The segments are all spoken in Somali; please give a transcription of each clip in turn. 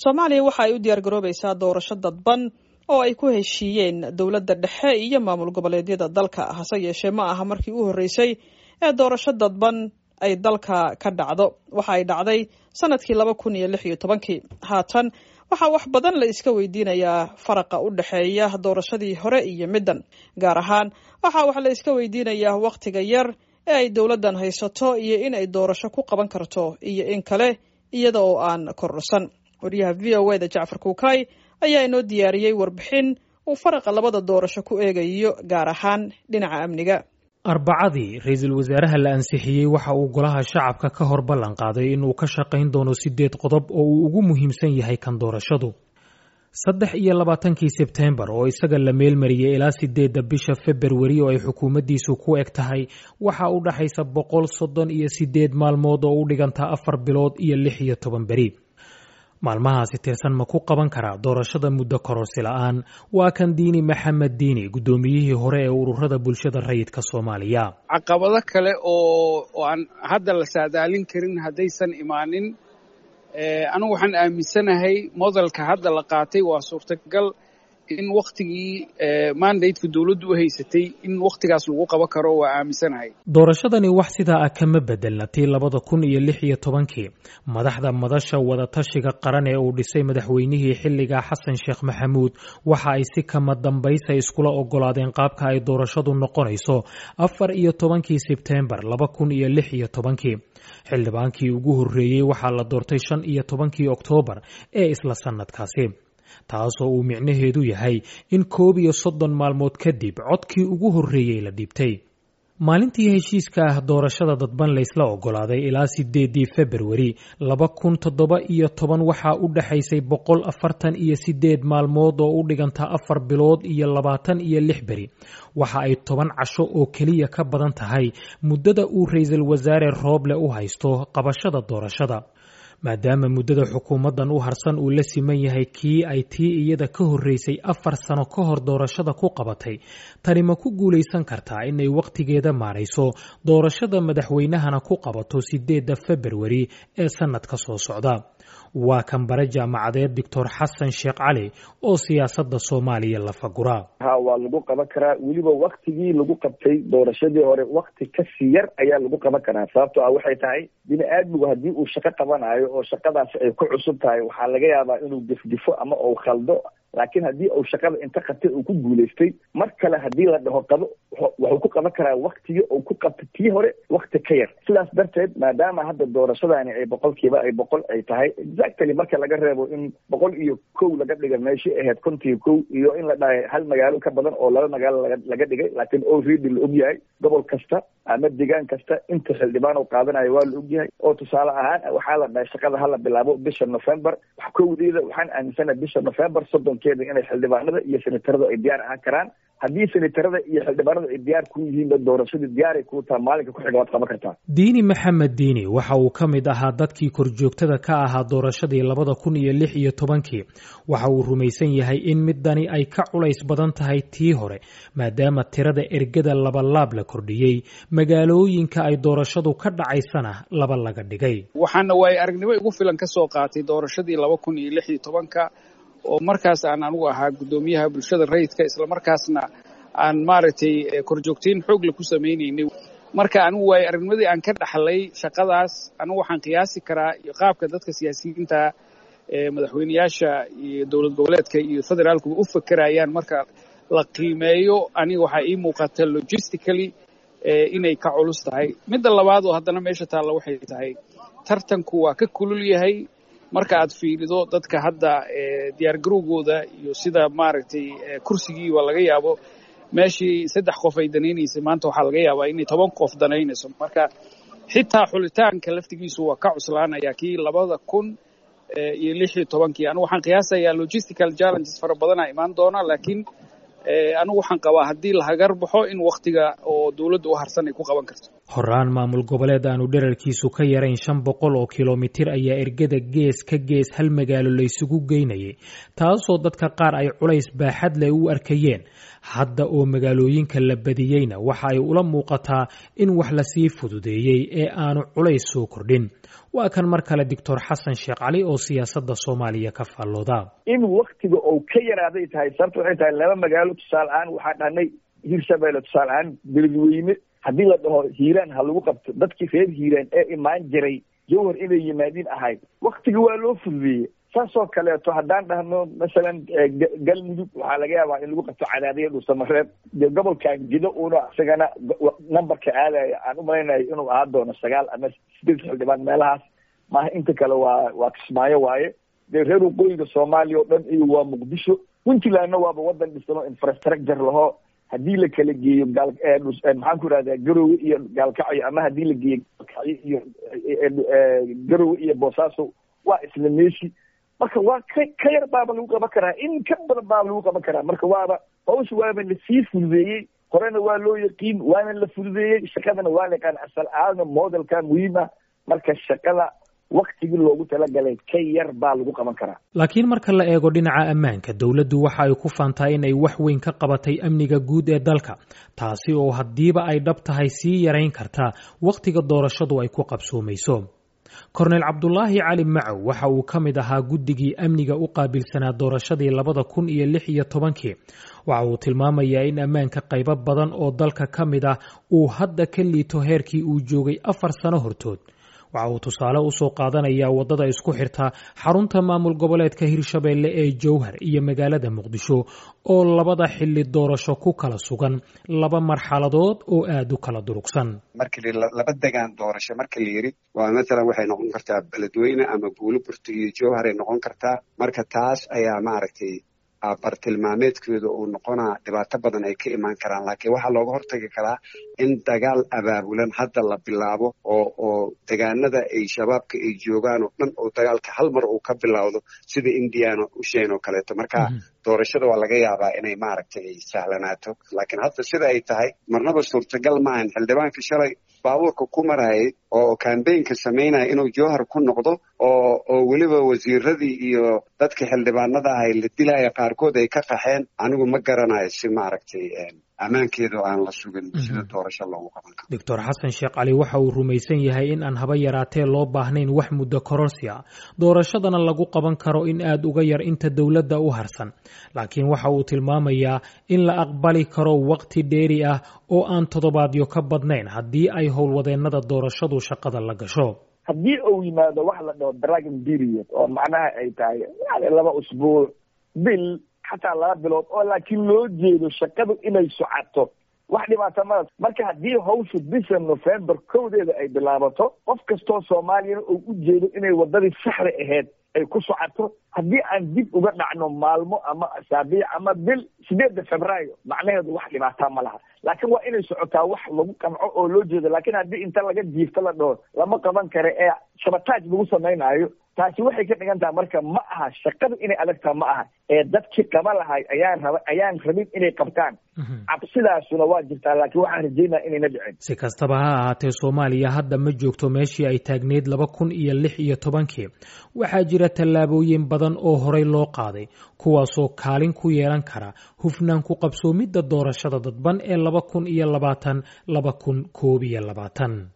Soomaaliya waxa ay u diyaargaroobaysaa doorasho dadban oo ay ku heshiiyeen dowladda dhexe iyo maamul goboleedyada dalka. Hase yeeshee, ma aha markii u horreysay ee doorasho dadban ay dalka ka dhacdo. Waxa ay dhacday sanadkii 2016-kii. Haatan waxaa wax badan la iska weydiinayaa faraqa u dhexeeya doorashadii hore iyo middan. Gaar ahaan waxaa wax la iska weydiinayaa wakhtiga yar ee ay dowladdan haysato iyo in ay doorasho ku qaban karto iyo in kale iyada oo aan kororsan. Wariyaha VOA da Jacfar Kuukay ayaa inoo diyaariyey warbixin uu faraqa labada doorasho ku eegayo, gaar ahaan dhinaca amniga. Arbacadii, ra-iisul wasaaraha la ansixiyey waxa uu Golaha Shacabka ka hor ballan qaaday inuu ka shaqayn doono sideed qodob oo uu ugu muhiimsan yahay kan doorashadu. 23-kii Sebteembar oo isaga la meelmariyey ilaa 8-da bisha Februari oo ay xukuumaddiisu ku eg tahay, waxa u dhaxaysa 138 maalmood oo u dhiganta 4 bilood iyo 16 beri. Maalmahaasi tirsan ma ku qaban karaa doorashada muddo kororsi la'aan? Waa kan Diini Maxamed Diini, guddoomiyihii hore ee ururada bulshada rayidka Soomaaliya. Caqabado kale oo aan hadda la saadaalin karin haddaysan imaanin, anigu waxaan aaminsanahay modelka hadda la qaatay waa suurtagal in wakhtigii mandateka dowladdu u haysatay in wakhtigaas lagu qaban karo, waa aaminsanahay. Doorashadani wax sidaa ah kama bedelna tii 2016-kii. Madaxda Madasha Wadatashiga Qaran ee uu dhisay madaxweynihii xilligaa, Xasan Sheekh Maxamuud, waxa ay si kama dambaysa iskula ogolaadeen qaabka ay doorashadu noqonayso 14-kii Sebteembar 2016-kii. Xildhibaankii ugu horreeyey waxaa la doortay 15-kii Oktoobar ee isla sannadkaasi, taasoo uu micnaheedu yahay in 31 maalmood kadib codkii ugu horreeyey la dhiibtay. Maalintii heshiiska ah doorashada dadban laysla ogolaaday ilaa 8-dii Februari 2017 waxaa u dhexaysay 148 maalmood oo u dhiganta 4 bilood iyo 26 beri. Waxa ay 10 casho oo keliya ka badan tahay muddada uu ra-iisul wasaare Rooble u haysto qabashada doorashada. Maadaama muddada xukuumaddan u harsan uu la siman yahay kii ay tii iyada ka horreysay 4 sano ka hor doorashada ku qabatay, tani ma ku guulaysan kartaa inay wakhtigeeda maarayso, doorashada madaxweynahana ku qabato 8-da Februari ee sannadka soo socda? Waa kan bare jaamacadeed Doctor Xasan Sheekh Cali oo siyaasadda Soomaaliya lafagura. Ha, waa lagu qaban karaa. Weliba waktigii lagu qabtay doorashadii hore wakti kasii yar ayaa lagu qaban karaa, sababtoo ah waxay tahay bini aadmigu haddii uu shaqo qabanayo oo shaqadaasi ay ku cusub tahay, waxaa laga yaabaa inuu gefgefo ama uu khaldo. Laakiin haddii uu shaqada inta qabtay uu ku guulaystay, mar kale haddii la dhaho qabo, wuxuu ku qaban karaa waktigii uu ku qabtay tii hore wakti ka yar. Sidaas darteed, maadaama hadda doorashadani ay boqolkiiba ay 100 ay tahay exactly, marka laga reebo in 101 laga dhiga meeshii ahayd 51, iyo in la dhahay hal magaalo ka badan oo laba magaalo laga dhigay, laakiin already la ogyahay gobol kasta ama deegaan kasta inta xildhibaan uu qaadanayo waa la ogyahay. Oo tusaale ahaan waxaa la dhahay shaqada hala bilaabo bisha November 1-deeda. Waxaan aaminsanahay bisha November 30-keeda inay xildhibaanada iyo senatarada ay diyaar ahaan karaan. Haddii senatarada iyo xildhibaanada ay diyaar ku yihiinba, doorashadii diyaaray kuu taha, maalinka ku xiga waad qaban kartaa. Diini Maxamed Diini waxa uu ka mid ahaa dadkii korjoogtada ka ahaa doorashadii 2016-kii. Waxa uu rumaysan yahay in midani ay ka culays badan tahay tii hore, maadaama tirada ergada labalaab la kordhiyey, magaalooyinka ay doorashadu ka dhacaysana laba laga dhigay. Waxaana waayo aragnimo igu filan ka soo qaatay doorashadii 2016-ka oo markaas aan anigu ahaa guddoomiyaha bulshada rayidka, islamarkaasna aan maaragtay korjoogtayn xoogle ku samaynaynay. Marka anigu waayo aragnimadii aan ka dhaxlay shaqadaas, anigu waxaan qiyaasi karaa iyo qaabka dadka siyaasiyiinta ee madaxweyneyaasha iyo dowlad goboleedka iyo federaalkuba u fekerayaan. Marka la qiimeeyo, aniga waxaa ii muuqata logistically inay ka culus tahay. Midda labaad oo haddana meesha taalla waxay tahay tartanku waa ka kulul yahay. Marka aad fiirido dadka hadda diyaargarowgooda iyo sida maaragtay kursigiiba laga yaabo, meeshii saddex qof ay danaynaysay, maanta waxaa laga yaabaa inay 10 qof danaynayso. Marka xitaa xulitaanka laftigiisu waa ka cuslaanaya kii 2016-kii. Anigu waxaan qiyaasayaa logistical challenges fara badanaa imaan doona, laakiin anigu waxaan qabaa haddii la hagar baxo in wakhtiga oo dowladda u harsan ay ku qaban karto. Horaan maamul goboleed aanu dherarkiisu ka yarayn 500 oo kilomitir ayaa ergada gees ka gees hal magaalo laysugu geynayay, taasoo dadka qaar ay culays baaxad leh u arkayeen. Hadda oo magaalooyinka la badiyeyna, waxa ay ula muuqataa in wax lasii fududeeyey ee aanu culays soo kordhin. Waa kan mar kale Doctor Xasan Sheekh Cali oo siyaasadda Soomaaliya ka faallooda. In waktiga uu ka yaraaday tahay, sababta waxay tahay laba magaalo tusaale ahaan waxaa dhahnay Hirshabeelle, tusaale ahaan Beledweyne, haddii la dhaho Hiiraan ha lagu qabto, dadkii reer Hiiraan ee imaan jiray Jowhar inay yimaadiin ahayd, waktiga waa loo fududeeyey. Saasoo kaleeto haddaan dhahno masalan Galmudug, waxaa laga yaabaa in lagu qabto Cadaadiya, Dhuusamareeb. Dee gobolkan Gido uuna isagana numberka aadaya aan umalaynayo inuu ahaan doono 9 ama 8 xildhibaan meelahaas maaha, inta kale waa Kismaayo waaye. Dee reer waqooyiga Soomaaliya oo dhan iyo waa Muqdisho. Puntlandna waaba wadan dhisano, infrastructure laho. Haddii la kala geeyo gaal, maxaan ku ihahdaa, Garowe iyo Gaalkacyo, ama haddii la geeyo Gaalkacyo iyo Garowe iyo Boosaaso, waa isla meeshi. Marka waa ka yar baaba lagu qaban karaa, in ka badan baaba lagu qaban karaa. Marka waaba hawsha waaba lasii fududeeyey, horena waa loo yaqiin, waana la fududeeyey, shaqadana waa la yaqaan. Asal aadna modelka muhiim ah. Marka shaqada waktigii loogu talagalay ka yar baa lagu qaban karaa. Laakiin marka la eego dhinaca ammaanka, dowladdu waxa ay ku faantaa in ay wax weyn ka qabatay amniga guud ee dalka, taasi oo haddiiba ay dhab tahay sii yarayn kartaa wakhtiga doorashadu ay ku qabsoomayso. Korneyl Cabdulaahi Cali Macow waxa uu ka mid ahaa guddigii amniga u qaabilsanaa doorashadii 2016-kii. Waxa uu tilmaamayaa in ammaanka qaybo badan oo dalka ka mid ah uu hadda ka liito heerkii uu joogay 4 sano hortood. Waxa uu tusaale usoo qaadanayaa waddada isku xirta xarunta maamul goboleedka Hirshabeelle ee Jowhar iyo magaalada Muqdisho, oo labada xilli doorasho ku kala sugan laba marxaladood oo aada u kala durugsan. Markii laba degaan doorasho marka la yidhi, waa mathalan waxay noqon kartaa Beledweyne ama Buuloburti iyo Jowharay noqon kartaa. Marka taas ayaa maaragtay bartilmaameedkeedu uu noqonaa, dhibaato badan ay ka imaan karaan. Laakiin waxaa looga hortagi karaa in dagaal abaabulan hadda la bilaabo oo degaanada ay shabaabka ay joogaan oo dhan oo dagaalka hal mar uu ka bilowdo, sida Indiana Ocean oo kaleeto. Marka doorashada waa laga yaabaa inay maaragtay ay sahlanaato, laakiin hadda sida ay tahay marnaba suurtagal maahan xildhibaanka shalay baabuurka ku marayay oo kambaynka samaynaya inuu Jowhar ku noqdo, oo weliba wasiiradii iyo dadka xildhibaanada ahay la dilaya, qaarkood ay ka qaxeen. Anigu ma garanayo si maaragtay ammaankeedu aan la sugin sida doorasho loogu qaban karo. Doctor Xasan Sheekh Cali waxa uu rumaysan yahay in aan haba yaraatee loo baahnayn wax muddo kororsi ah, doorashadana lagu qaban karo in aada uga yar inta dowladda u harsan. Laakiin waxa uu tilmaamayaa in la aqbali karo waqti dheeri ah oo aan toddobaadyo ka badnayn haddii ay howlwadeennada doorashadu shaqada la gasho. Haddii uu yimaado wax la dhaho dragging period, oo macnaha ay tahay yani 2 usbuuc, bil, xataa 2 bilood, oo laakiin loo jeedo shaqadu inay socoto, wax dhibaata mala. Marka haddii hawshu bisha November 1-deeda ay bilaabato, qof kastoo Soomaaliyana uu u jeedo inay waddadii saxda ahayd ay ku socoto, haddii aan dib uga dhacno maalmo ama asaabiic ama bil, 8-da Febraayo, macnaheedu wax dhibaataa ma laha. Laakiin waa inay socotaa wax lagu qanco oo loo jeedo. Laakiin haddii inta laga jiifto la dhaho lama qaban karo ee sabotage lagu samaynaayo, taasi waxay ka dhigan taha marka ma aha shaqadu inay adagtaa, ma aha ee dadkii qaba lahay ayaan raba ayaan rabin inay qabtaan. Cabsidaasuna waa jirtaa, laakiin waxaan rajeynaya inayna dhicin. Si kastaba ha ahaatee, Soomaaliya hadda ma joogto meeshii ay taagneyd 2016-kii. Waxaa jira tallaabooyin badan oo horey loo qaaday, kuwaasoo kaalin ku yeelan kara hufnaan ku qabsoomidda doorashada dadban ee 2020, 2021.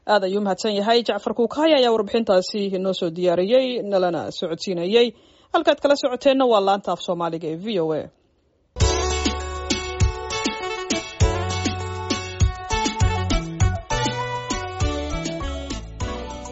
Aad ayuu mahadsan yahay Jacfar Kuukaya ayaa warbixintaasi inoo soo diyaariyey, nalana socodsiinayey. Halkaad kala socoteenna waa laanta af Soomaaliga ee VOA.